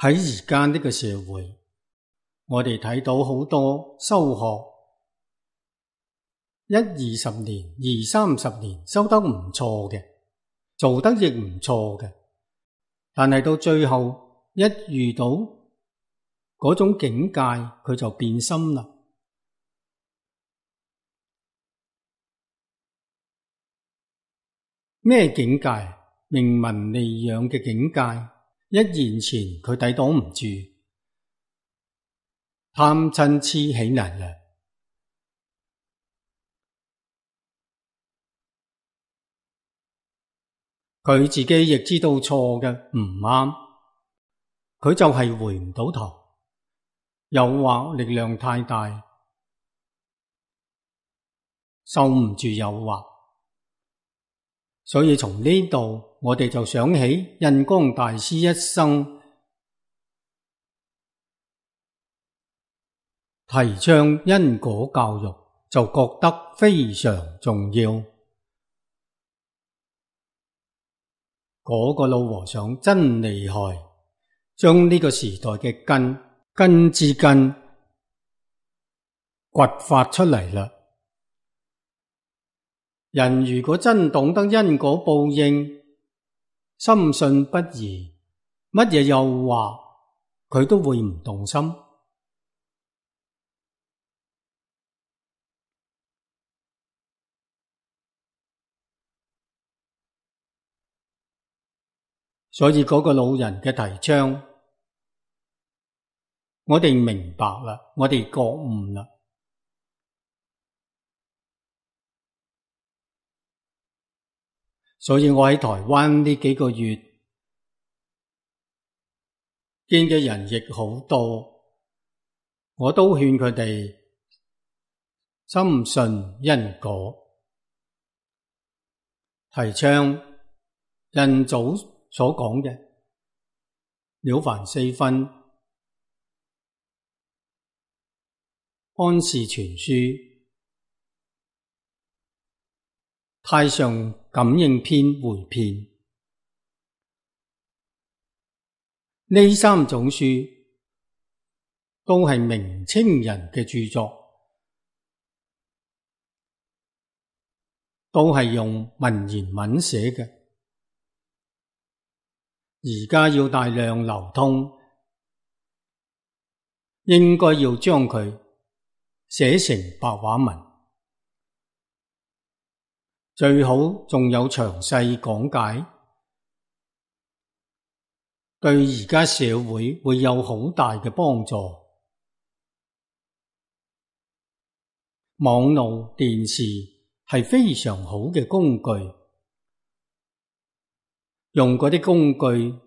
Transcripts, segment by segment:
喺而家呢個社會，我哋睇到好多修學10-20年、20-30年修得唔錯嘅，做得亦唔錯嘅，但係到最後一遇到嗰種境界，佢就變心啦。咩境界？名聞利養嘅境界，一現前佢抵擋唔住，貪嗔癡起嚟啦。佢自己亦知道錯嘅，唔啱，佢就係回唔到頭，誘惑力量太大，受唔住誘惑。所以從呢度我哋就想起印光大師一生提倡因果教育，就覺得非常重要。嗰個老和尚真厲害，將呢個時代嘅根之根掘發出嚟啦。人如果真懂得因果報應，深信不疑，乜嘢誘惑佢都會唔動心。所以嗰個老人嘅提倡，我哋明白啦，我哋覺悟啦。所以我喺台灣呢幾個月見嘅人亦好多，我都勸佢哋深信因果，提倡印祖所講嘅了凡四訓、安氏全書、太上感應篇回遍，呢3種書都係明清人嘅著作，都係用文言文寫嘅。而家要大量流通，應該要將佢寫成白話文，最好仲有詳細講解，對而家社會會有好大嘅幫助。網絡電視係非常好嘅工具，用嗰啲工具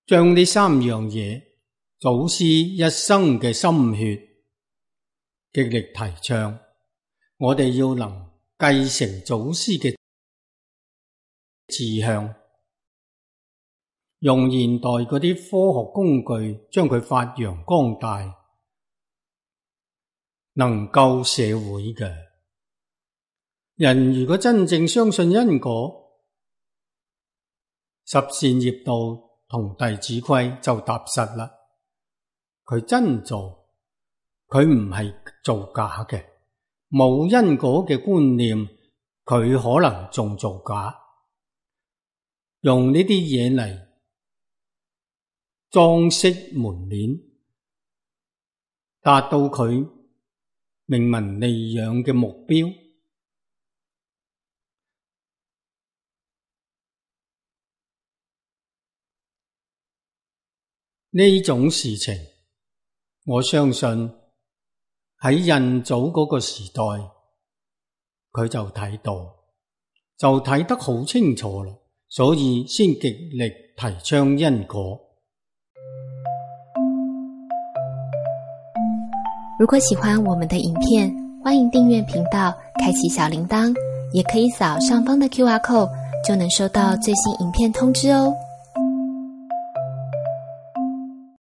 將呢3樣嘢，祖師一生嘅心血，極力提倡。我哋要能繼承祖師嘅志向，用現代嗰啲科學工具將佢發揚光大，能救社會嘅。人如果真正相信因果，十善業道同弟子規就踏實啦。佢真做，佢唔係做假嘅。冇因果嘅觀念，佢可能仲造假，用呢啲嘢嚟裝飾門面，達到佢名聞利養嘅目標。呢種事情，我相信喺印祖嗰個時代，佢就睇到，就睇得好清楚啦，所以先極力提倡因果。如果喜歡我們的影片，歡迎訂閱頻道，開啟小鈴鐺，也可以掃上方的QR code，就能收到最新影片通知哦。